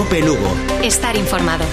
COPE Lugo. Estar informado.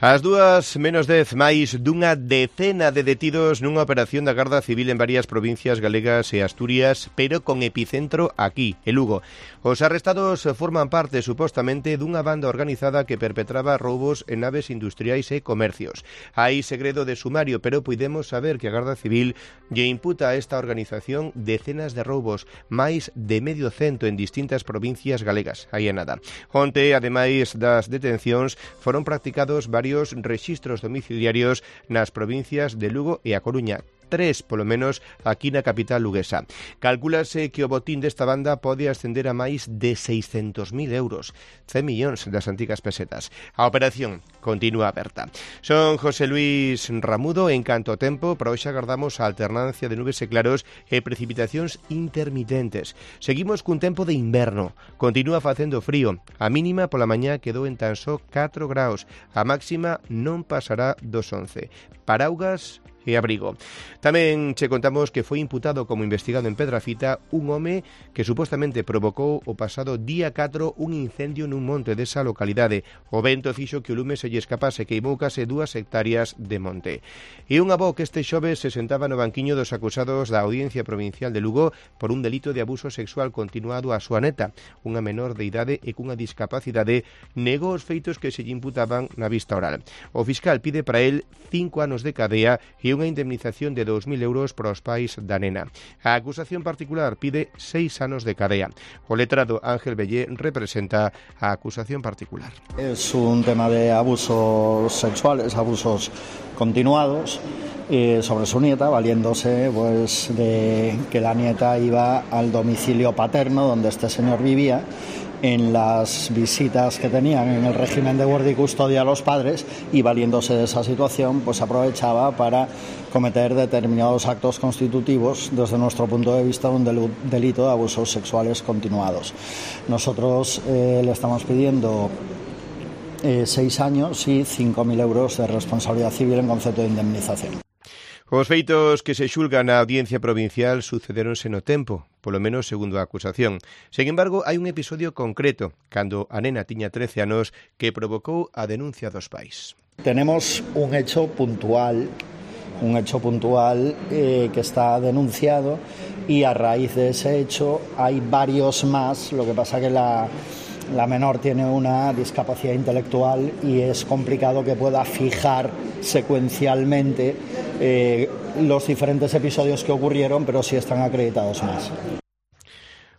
As 2:10, máis dunha decena de detidos nunha operación da Garda Civil en varias provincias galegas e Asturias, pero con epicentro aquí, en Lugo. Os arrestados forman parte, supostamente, dunha banda organizada que perpetraba roubos en naves industriais e comercios. Hai segredo de sumario, pero podemos saber que a Garda Civil lle imputa a esta organización decenas de roubos, máis de medio cento en distintas provincias galegas. Aí é nada. Onte, ademais das detencións, foron practicados varios rexistros domiciliarios nas provincias de Lugo e A Coruña. 3, polo menos, aquí na capital luguesa. Calcúlase que o botín desta banda pode ascender a máis de 600.000 euros, 100 millóns das antigas pesetas. A operación continúa aberta. Son José Luis Ramudo. En canto ao tempo, para hoxe agardamos a alternancia de nubes e claros e precipitacións intermitentes. Seguimos cun tempo de inverno. Continúa facendo frío. A mínima pola mañá quedou en tan só 4 graus. A máxima non pasará dos 11. Paraugas e abrigo. Tamén che contamos que foi imputado como investigado en Pedrafita un home que supostamente provocou o pasado día 4 un incendio nun monte desa localidade. O vento fixo que o lume se lle escapase, queimou case 2 hectáreas de monte. E un avó que este xoves se sentaba no banquiño dos acusados da Audiencia Provincial de Lugo por un delito de abuso sexual continuado á súa neta, unha menor de idade e cunha discapacidade, negou os feitos que se lle imputaban na vista oral. O fiscal pide para el 5 anos de cadea e unha indemnización de 2.000 euros para os pais da nena. A acusación particular pide 6 anos de cadea. O letrado Ángel Bellé representa a acusación particular. Es un tema de abusos sexuales, abusos continuados sobre su nieta, valiéndose pues de que la nieta iba al domicilio paterno donde este señor vivía. En las visitas que tenían en el régimen de guardia y custodia a los padres, y valiéndose de esa situación, pues aprovechaba para cometer determinados actos constitutivos, desde nuestro punto de vista, un delito de abusos sexuales continuados. Nosotros le estamos pidiendo 6 años y 5.000 euros de responsabilidad civil en concepto de indemnización. Os feitos que se xulgan na Audiencia Provincial sucederonse no tempo, polo menos segundo a acusación. Sen embargo, hai un episodio concreto, cando a nena tiña 13 anos, que provocou a denuncia dos pais. Tenemos un hecho puntual que está denunciado, y a raíz de ese hecho hay varios más. Lo que pasa que la menor tiene una discapacidad intelectual y es complicado que pueda fijar secuencialmente los diferentes episodios que ocurrieron, pero sí están acreditados más.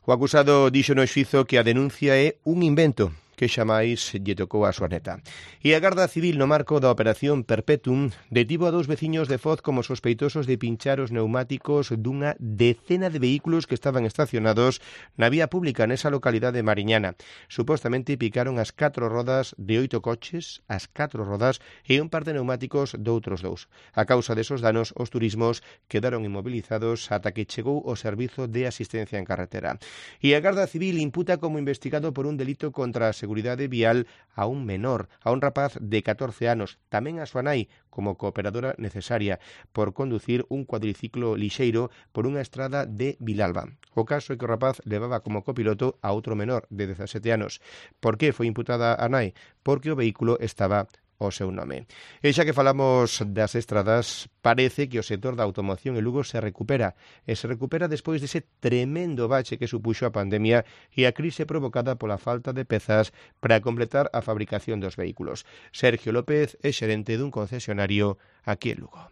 O acusado dixo no xuízo que a denuncia é un invento que xamais lle tocou a súa neta. E a Garda Civil, no marco da Operación Perpetuum, detivo a 2 veciños de Foz como sospeitosos de pinchar os neumáticos dunha decena de vehículos que estaban estacionados na vía pública nesa localidade mariñana. Supostamente picaron as 4 rodas de 8 coches, as 4 rodas e un par de neumáticos de outros 2. A causa desos danos, os turismos quedaron inmovilizados ata que chegou o Servizo de Asistencia en Carretera. E a Garda Civil imputa como investigado por un delito contra a seguridade vial a un menor, a un rapaz de 14 anos, tamén a súa nai, como cooperadora necesaria, por conducir un cuadriciclo lixeiro por unha estrada de Vilalba. O caso é que o rapaz levaba como copiloto a outro menor de 17 anos. Por que foi imputada a nai? Porque o vehículo estaba o seu nome. E xa que falamos das estradas, parece que o sector da automoción en Lugo se recupera despois dese tremendo bache que supuxo a pandemia e a crise provocada pola falta de pezas para completar a fabricación dos vehículos. Sergio López é xerente dun concesionario aquí en Lugo.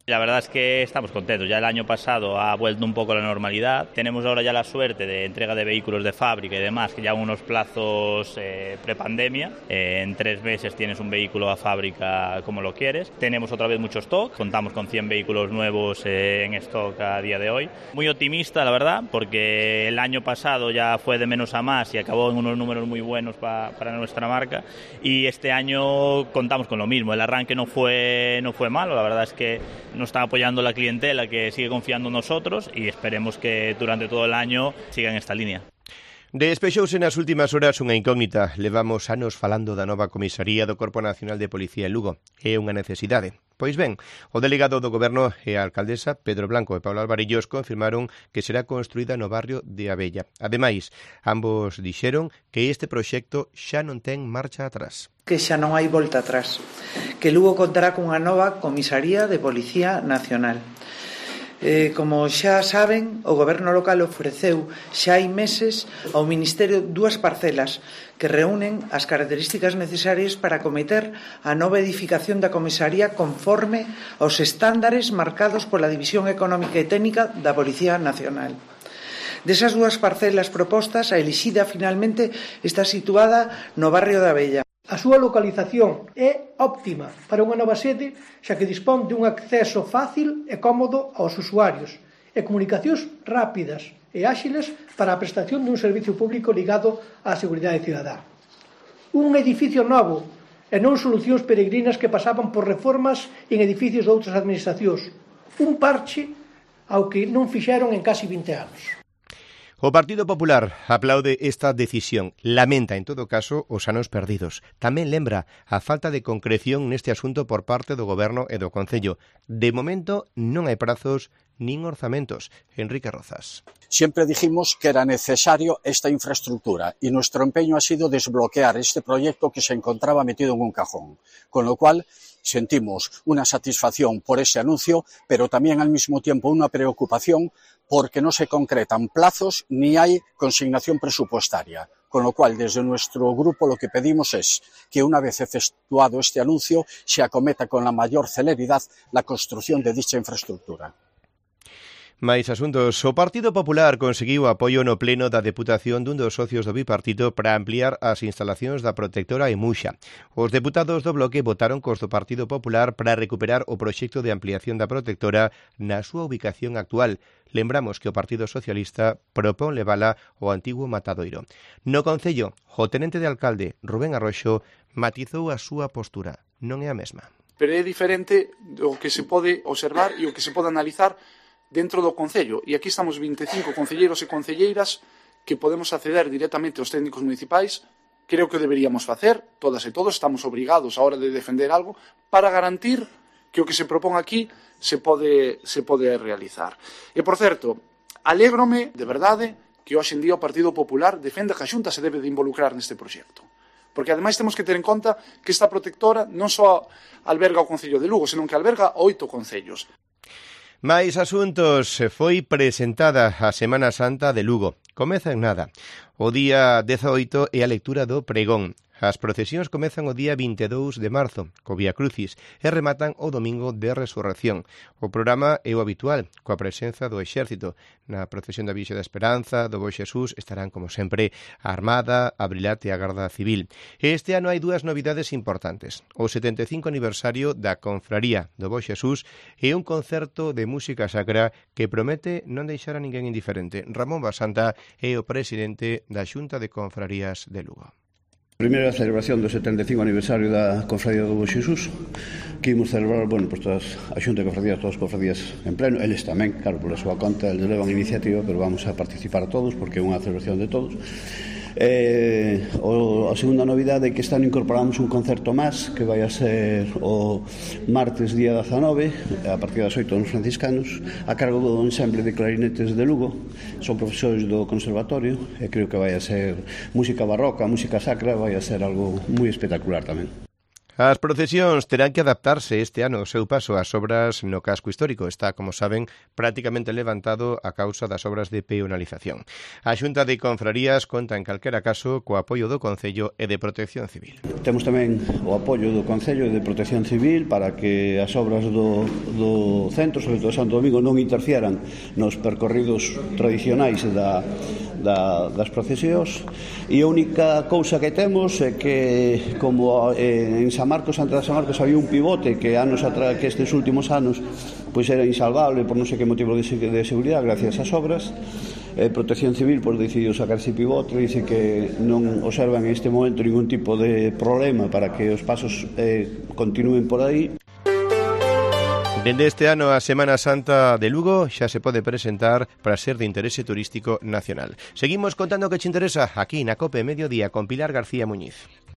La verdad es que estamos contentos. Ya el año pasado ha vuelto un poco la normalidad. Tenemos ahora ya la suerte de entrega de vehículos de fábrica y demás, que ya unos plazos prepandemia. En 3 meses tienes un vehículo a fábrica como lo quieres. Tenemos otra vez mucho stock. Contamos con 100 vehículos nuevos en stock a día de hoy. Muy optimista, la verdad, porque el año pasado ya fue de menos a más y acabó en unos números muy buenos para nuestra marca. Y este año contamos con lo mismo. El arranque no fue malo. La verdad es que nos está apoyando la clientela, que sigue confiando en nosotros, y esperemos que durante todo el año siga en esta línea. Despexouse nas últimas horas unha incógnita. Levamos anos falando da nova comisaría do Corpo Nacional de Policía en Lugo. É unha necesidade. Pois ben, o delegado do Goberno e a alcaldesa Pedro Blanco e Pablo Alvarillos confirmaron que será construída no barrio de Abella. Ademais, ambos dixeron que este proxecto xa non ten marcha atrás. Que xa non hai volta atrás, que Lugo contará cunha nova comisaría de Policía Nacional. Como xa saben, o Goberno local ofreceu xa hai meses ao Ministerio 2 parcelas que reúnen as características necesarias para acometer a nova edificación da comisaría conforme aos estándares marcados pola División Económica e Técnica da Policía Nacional. Desas 2 parcelas propostas, a elixida finalmente está situada no barrio de Abella. A súa localización é óptima para unha nova sede, xa que dispón de un acceso fácil e cómodo aos usuarios e comunicacións rápidas e áxiles para a prestación dun servicio público ligado á seguridade cidadá. Un edificio novo e non solucións peregrinas que pasaban por reformas en edificios de outras administracións. Un parche ao que non fixeron en casi 20 anos. O Partido Popular aplaude esta decisión, lamenta en todo caso os anos perdidos. Tamén lembra a falta de concreción neste asunto por parte do Goberno e do Concello. De momento non hai prazos nin orzamentos. Enrique Rozas. Siempre dijimos que era necesario esta infraestructura y nuestro empeño ha sido desbloquear este proyecto que se encontraba metido en un cajón, con lo cual sentimos una satisfacción por ese anuncio, pero también al mismo tiempo una preocupación porque no se concretan plazos ni hay consignación presupuestaria. Con lo cual, desde nuestro grupo lo que pedimos es que una vez efectuado este anuncio se acometa con la mayor celeridad la construcción de dicha infraestructura. Mais asuntos. O Partido Popular conseguiu apoio no pleno da Deputación dun dos socios do bipartito para ampliar as instalacións da protectora en Muxa. Os deputados do bloque votaron cos do Partido Popular para recuperar o proxecto de ampliación da protectora na súa ubicación actual. Lembramos que o Partido Socialista propón levala ao antigo matadoiro. No Concello, o tenente de alcalde, Rubén Arroxo, matizou a súa postura. Non é a mesma. Pero é diferente do que se pode observar e o que se pode analizar dentro do Concello, e aquí estamos 25 concelleiros e concelleiras que podemos acceder directamente aos técnicos municipais. Creo que deberíamos facer, todas e todos estamos obrigados a hora de defender algo para garantir que o que se propón aquí se pode realizar. E, por certo, alégrome, de verdade, que hoxe en día o Partido Popular defenda que a Xunta se debe de involucrar neste proxecto. Porque, ademais, temos que ter en conta que esta protectora non só alberga o Concello de Lugo, senón que alberga 8 concellos. Mais asuntos. Foi presentada a Semana Santa de Lugo. Comeza en nada. O día 18 é a lectura do pregón. As procesións comezan o día 22 de marzo, co Vía Crucis, e rematan o domingo de Resurrección. O programa é o habitual, coa presenza do Exército. Na procesión da Virxe da Esperanza, do Bo Xesús, estarán, como sempre, a Armada, a Brilate e a Garda Civil. Este ano hai dúas novidades importantes. O 75 aniversario da Confraría do Bo Xesús e un concerto de música sacra que promete non deixar a ninguén indiferente. Ramón Basanta é o presidente da Xunta de Confrarías de Lugo. Primeira celebración do 75 aniversario da Confradía do Bo Xesús, que imos celebrar, pues todas a Xunta de Confradías, todas as confradías en pleno, eles tamén, claro, por a súa conta, eles levan iniciativa, pero vamos a participar todos, porque é unha celebración de todos. A segunda novidade é que este ano incorporamos un concerto máis que vai a ser o martes día 19 a partir das 8 nos franciscanos a cargo do ensemble de clarinetes de Lugo. Son profesores do conservatorio e creo que vai a ser música barroca, música sacra, vai a ser algo moi espectacular tamén. As procesións terán que adaptarse este ano ao seu paso ás obras no casco histórico. Está, como saben, prácticamente levantado a causa das obras de peonalización. A Xunta de Confrarías conta en calquera caso co apoio do Concello e de Protección Civil. Temos tamén o apoio do Concello e de Protección Civil para que as obras do centro, sobre todo Santo Domingo, non interfieran nos percorridos tradicionais das procesións. E a única cousa que temos é que, como en San Marcos, antes de San Marcos, había un pivote que anos atrás, que estes últimos anos pois era insalvable por non sei que motivo de seguridade, gracias ás obras. Protección Civil decidiu sacar ese pivote, dice que non observan en este momento ningún tipo de problema para que os pasos continúen por aí. Dende este ano a Semana Santa de Lugo xa se pode presentar para ser de interese turístico nacional. Seguimos contando que che interesa aquí na COPE Mediodía con Pilar García Muñiz.